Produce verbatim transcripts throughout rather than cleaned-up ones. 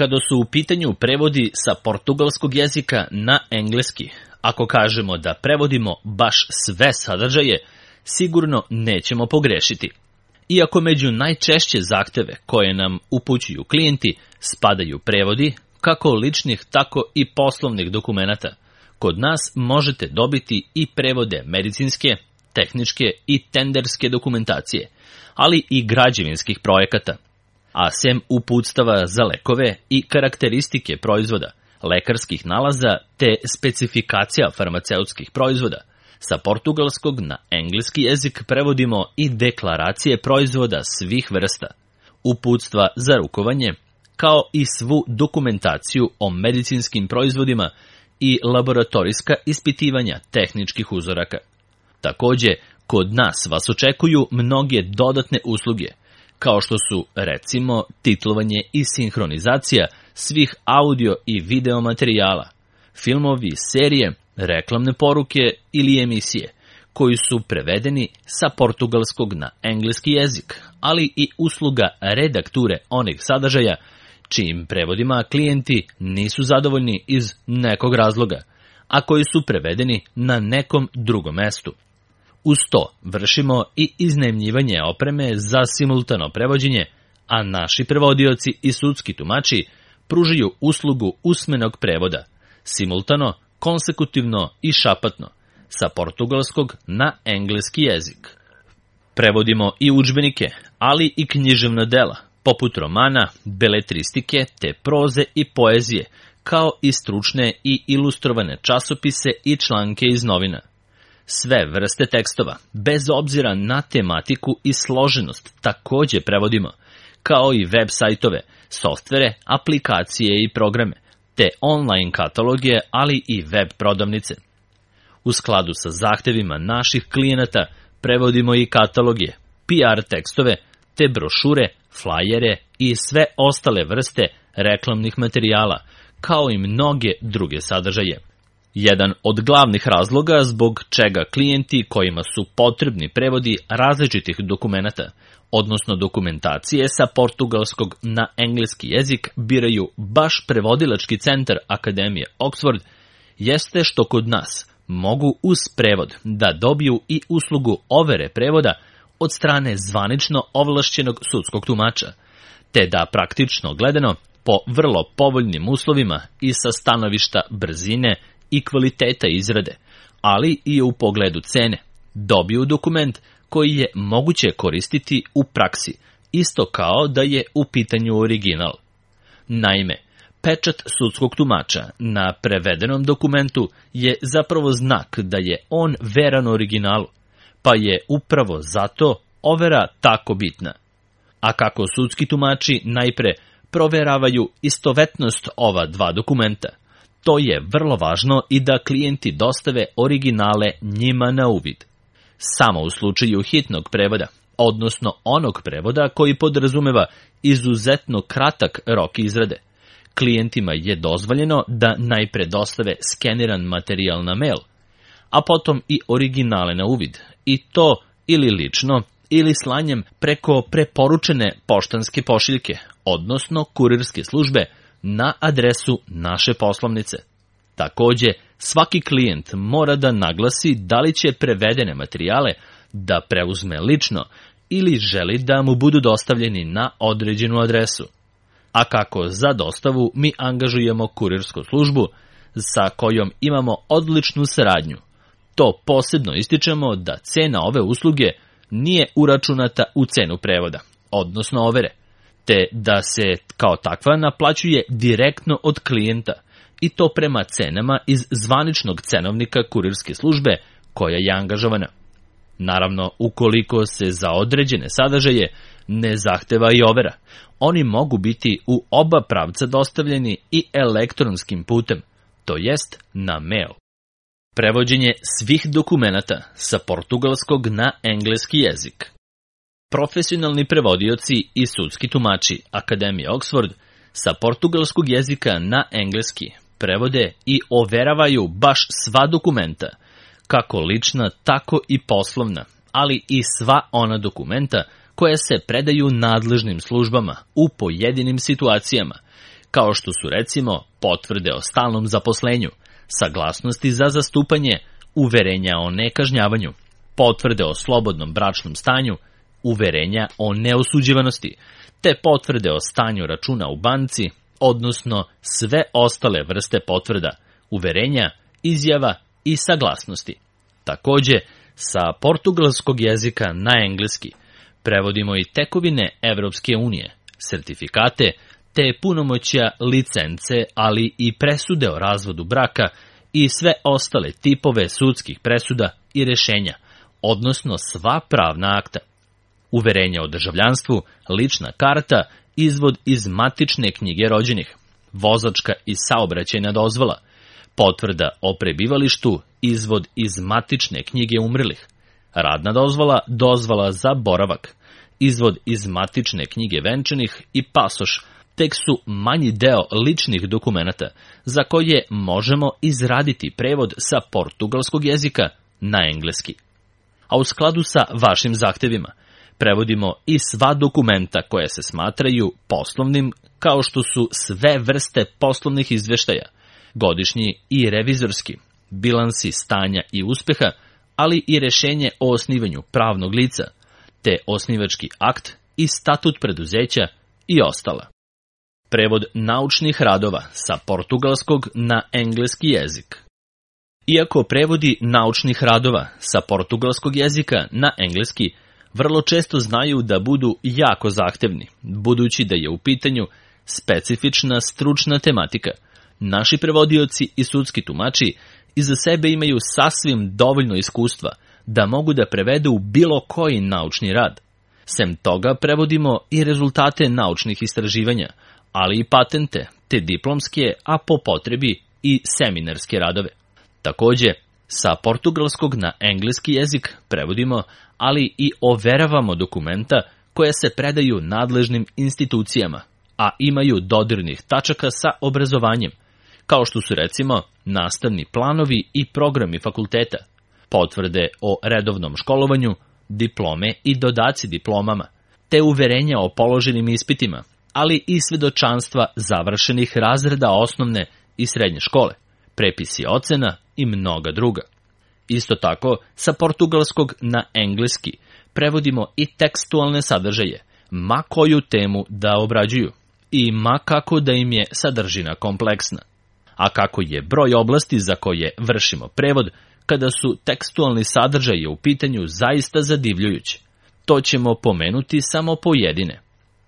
Kada su u pitanju prevodi sa portugalskog jezika na engleski, ako kažemo da prevodimo baš sve sadržaje, sigurno nećemo pogrešiti. Iako među najčešće zahteve koje nam upućuju klijenti spadaju prevodi, kako ličnih, tako i poslovnih dokumenata, kod nas možete dobiti i prevode medicinske, tehničke i tenderske dokumentacije, ali i građevinskih projekata. A sem uputstava za lekove i karakteristike proizvoda, lekarskih nalaza te specifikacija farmaceutskih proizvoda, sa portugalskog na engleski jezik prevodimo i deklaracije proizvoda svih vrsta, uputstva za rukovanje, kao i svu dokumentaciju o medicinskim proizvodima i laboratorijska ispitivanja tehničkih uzoraka. Takođe, kod nas vas očekuju mnoge dodatne usluge, kao što su, recimo, titlovanje i sinhronizacija svih audio i video materijala, filmovi, serije, reklamne poruke ili emisije, koji su prevedeni sa portugalskog na engleski jezik, ali i usluga redakture onih sadržaja čijim prevodima klijenti nisu zadovoljni iz nekog razloga, a koji su prevedeni na nekom drugom mestu. Uz to vršimo i iznajmljivanje opreme za simultano prevođenje, a naši prevodioci i sudski tumači pružaju uslugu usmenog prevoda, simultano, konsekutivno i šapatno, sa portugalskog na engleski jezik. Prevodimo i udžbenike, ali i književna dela, poput romana, beletristike te proze i poezije, kao i stručne i ilustrovane časopise i članke iz novina. Sve vrste tekstova, bez obzira na tematiku i složenost, takođe prevodimo, kao i web sajtove, softvere, aplikacije i programe, te online kataloge, ali i web prodavnice. U skladu sa zahtevima naših klijenata prevodimo i kataloge, P R tekstove, te brošure, flajere i sve ostale vrste reklamnih materijala, kao i mnoge druge sadržaje. Jedan od glavnih razloga zbog čega klijenti kojima su potrebni prevodi različitih dokumenata, odnosno dokumentacije sa portugalskog na engleski jezik, biraju baš prevodilački centar Akademije Oxford, jeste što kod nas mogu uz prevod da dobiju i uslugu overe prevoda od strane zvanično ovlašćenog sudskog tumača, te da praktično gledano po vrlo povoljnim uslovima i sa stanovišta brzine i kvaliteta izrade, ali i u pogledu cene, dobiju dokument koji je moguće koristiti u praksi, isto kao da je u pitanju original. Naime, pečat sudskog tumača na prevedenom dokumentu je zapravo znak da je on veran originalu, pa je upravo zato overa tako bitna. A kako sudski tumači najpre proveravaju istovetnost ova dva dokumenta, to je vrlo važno i da klijenti dostave originale njima na uvid. Samo u slučaju hitnog prevoda, odnosno onog prevoda koji podrazumeva izuzetno kratak rok izrade, klijentima je dozvoljeno da najpre dostave skeniran materijal na mail, a potom i originale na uvid, i to ili lično ili slanjem preko preporučene poštanske pošiljke, odnosno kurirske službe, na adresu naše poslovnice. Takođe, svaki klijent mora da naglasi da li će prevedene materijale da preuzme lično ili želi da mu budu dostavljeni na određenu adresu. A kako za dostavu mi angažujemo kurirsku službu sa kojom imamo odličnu saradnju, to posebno ističemo da cena ove usluge nije uračunata u cenu prevoda, odnosno overe, te da se kao takva naplaćuje direktno od klijenta, i to prema cenama iz zvaničnog cenovnika kurirske službe koja je angažovana. Naravno, ukoliko se za određene sadržaje ne zahteva i overa, oni mogu biti u oba pravca dostavljeni i elektronskim putem, to jest na mail. Prevođenje svih dokumenata sa portugalskog na engleski jezik. Profesionalni prevodioci i sudski tumači Akademije Oxford sa portugalskog jezika na engleski prevode i overavaju baš sva dokumenta, kako lična, tako i poslovna, ali i sva ona dokumenta koja se predaju nadležnim službama u pojedinim situacijama, kao što su recimo potvrde o stalnom zaposlenju, saglasnosti za zastupanje, uverenja o nekažnjavanju, potvrde o slobodnom bračnom stanju, uverenja o neosuđivanosti, te potvrde o stanju računa u banci, odnosno sve ostale vrste potvrda, uverenja, izjava i saglasnosti. Takođe, sa portugalskog jezika na engleski prevodimo i tekovine Evropske unije, sertifikate, te punomoćja, licence, ali i presude o razvodu braka i sve ostale tipove sudskih presuda i rešenja, odnosno sva pravna akta. Uverenja o državljanstvu, lična karta, izvod iz matične knjige rođenih, vozačka i saobraćajna dozvola, potvrda o prebivalištu, izvod iz matične knjige umrlih, radna dozvola, dozvola za boravak, izvod iz matične knjige venčanih i pasoš, tek su manji deo ličnih dokumenata za koje možemo izraditi prevod sa portugalskog jezika na engleski. A u skladu sa vašim zahtevima, prevodimo i sva dokumenta koje se smatraju poslovnim, kao što su sve vrste poslovnih izveštaja, godišnji i revizorski, bilansi stanja i uspeha, ali i rešenje o osnivanju pravnog lica, te osnivački akt i statut preduzeća i ostala. Prevod naučnih radova sa portugalskog na engleski jezik. Iako prevodi naučnih radova sa portugalskog jezika na engleski vrlo često znaju da budu jako zahtevni, budući da je u pitanju specifična stručna tematika, naši prevodioci i sudski tumači iza sebe imaju sasvim dovoljno iskustva da mogu da prevedu bilo koji naučni rad. Sem toga prevodimo i rezultate naučnih istraživanja, ali i patente, te diplomske, a po potrebi i seminarske radove. Takođe, sa portugalskog na engleski jezik prevodimo, ali i overavamo dokumenta koja se predaju nadležnim institucijama, a imaju dodirnih tačaka sa obrazovanjem, kao što su recimo nastavni planovi i programi fakulteta, potvrde o redovnom školovanju, diplome i dodaci diplomama, te uverenja o položenim ispitima, ali i svedočanstva završenih razreda osnovne i srednje škole, prepisi ocena i mnoga druga. Isto tako, sa portugalskog na engleski prevodimo i tekstualne sadržaje, ma koju temu da obrađuju i ma kako da im je sadržina kompleksna. A kako je broj oblasti za koje vršimo prevod kada su tekstualni sadržaji u pitanju zaista zadivljujući, to ćemo pomenuti samo pojedine.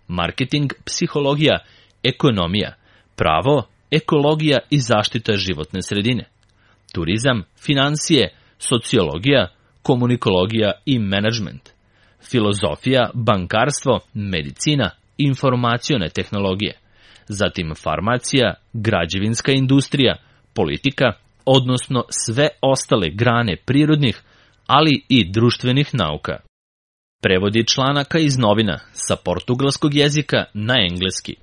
Marketing, psihologija, ekonomija, pravo, ekologija i zaštita životne sredine, turizam, finansije, sociologija, komunikologija i menadžment, filozofija, bankarstvo, medicina, informacione tehnologije, zatim farmacija, građevinska industrija, politika, odnosno sve ostale grane prirodnih, ali i društvenih nauka. Prevodi članaka iz novina sa portugalskog jezika na engleski.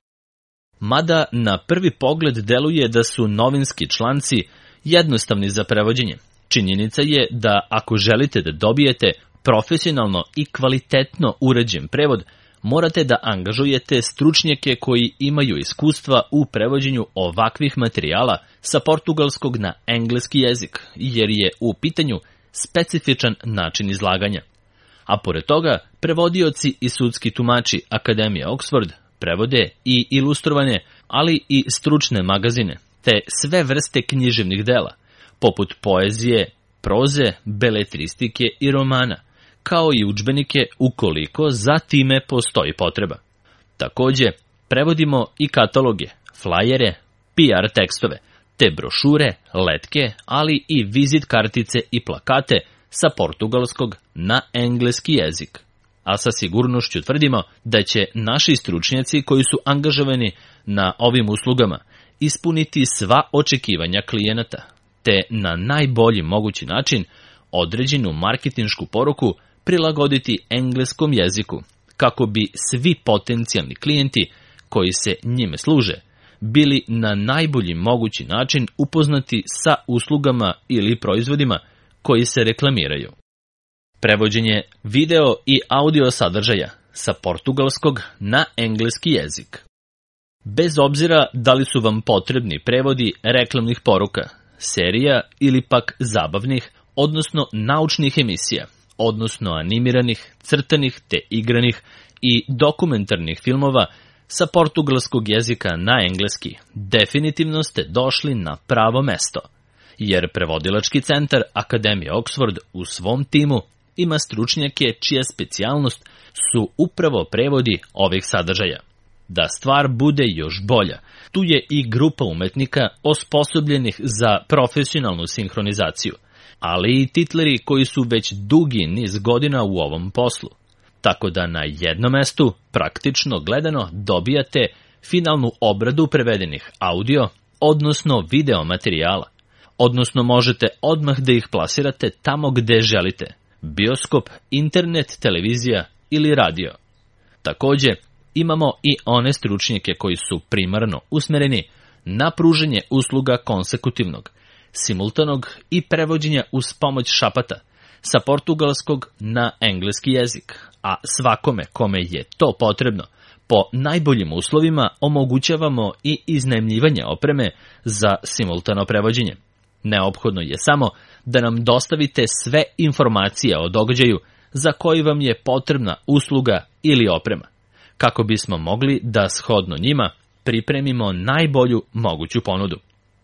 Mada na prvi pogled deluje da su novinski članci jednostavni za prevođenje, činjenica je da ako želite da dobijete profesionalno i kvalitetno urađen prevod, morate da angažujete stručnjake koji imaju iskustva u prevođenju ovakvih materijala sa portugalskog na engleski jezik, jer je u pitanju specifičan način izlaganja. A pored toga, prevodioci i sudski tumači Akademije Oxford prevode i ilustrovane, ali i stručne magazine, te sve vrste književnih dela, poput poezije, proze, beletristike i romana, kao i udžbenike ukoliko za time postoji potreba. Takođe, prevodimo i kataloge, flajere, P R tekstove, te brošure, letke, ali i vizit kartice i plakate sa portugalskog na engleski jezik. A sa sigurnošću tvrdimo da će naši stručnjaci koji su angažovani na ovim uslugama ispuniti sva očekivanja klijenata, te na najbolji mogući način određenu marketinšku poruku prilagoditi engleskom jeziku, kako bi svi potencijalni klijenti koji se njime služe bili na najbolji mogući način upoznati sa uslugama ili proizvodima koji se reklamiraju. Prevođenje video i audio sadržaja sa portugalskog na engleski jezik. Bez obzira da li su vam potrebni prevodi reklamnih poruka, serija ili pak zabavnih, odnosno naučnih emisija, odnosno animiranih, crtanih te igranih i dokumentarnih filmova sa portugalskog jezika na engleski, definitivno ste došli na pravo mesto, jer prevodilački centar Akademije Oxford u svom timu ima stručnjake čija specijalnost su upravo prevodi ovih sadržaja. Da stvar bude još bolja, tu je i grupa umetnika osposobljenih za profesionalnu sinhronizaciju, ali i titleri koji su već dugi niz godina u ovom poslu. Tako da na jednom mestu, praktično gledano, dobijate finalnu obradu prevedenih audio, odnosno video materijala, odnosno možete odmah da ih plasirate tamo gde želite, bioskop, internet, televizija ili radio. Takođe, imamo i one stručnjake koji su primarno usmereni na pruženje usluga konsekutivnog, simultanog i prevođenja uz pomoć šapata sa portugalskog na engleski jezik, a svakome kome je to potrebno, po najboljim uslovima omogućavamo i iznajmljivanje opreme za simultano prevođenje. Neophodno je samo da nam dostavite sve informacije o događaju za koji vam je potrebna usluga ili oprema, kako bismo mogli da shodno njima pripremimo najbolju moguću ponudu.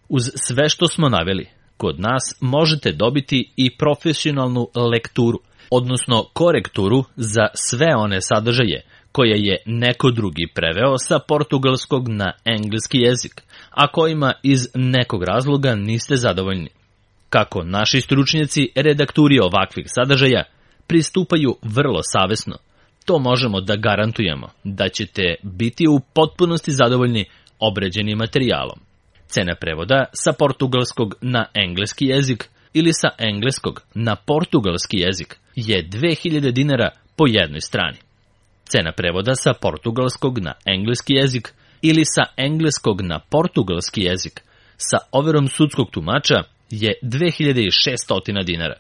Uz sve što smo naveli, kod nas možete dobiti i profesionalnu lekturu, odnosno korekturu za sve one sadržaje koje je neko drugi preveo sa portugalskog na engleski jezik, a kojima iz nekog razloga niste zadovoljni. Kako naši stručnjaci redakturi ovakvih sadržaja pristupaju vrlo savesno, to možemo da garantujemo da ćete biti u potpunosti zadovoljni obrađenim materijalom. Cena prevoda sa portugalskog na engleski jezik ili sa engleskog na portugalski jezik je dve hiljade dinara po jednoj strani. Cena prevoda sa portugalskog na engleski jezik ili sa engleskog na portugalski jezik sa overom sudskog tumača je dve hiljade šesto dinara.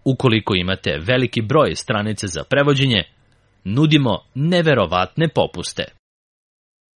Ukoliko imate veliki broj stranice za prevođenje, nudimo neverovatne popuste.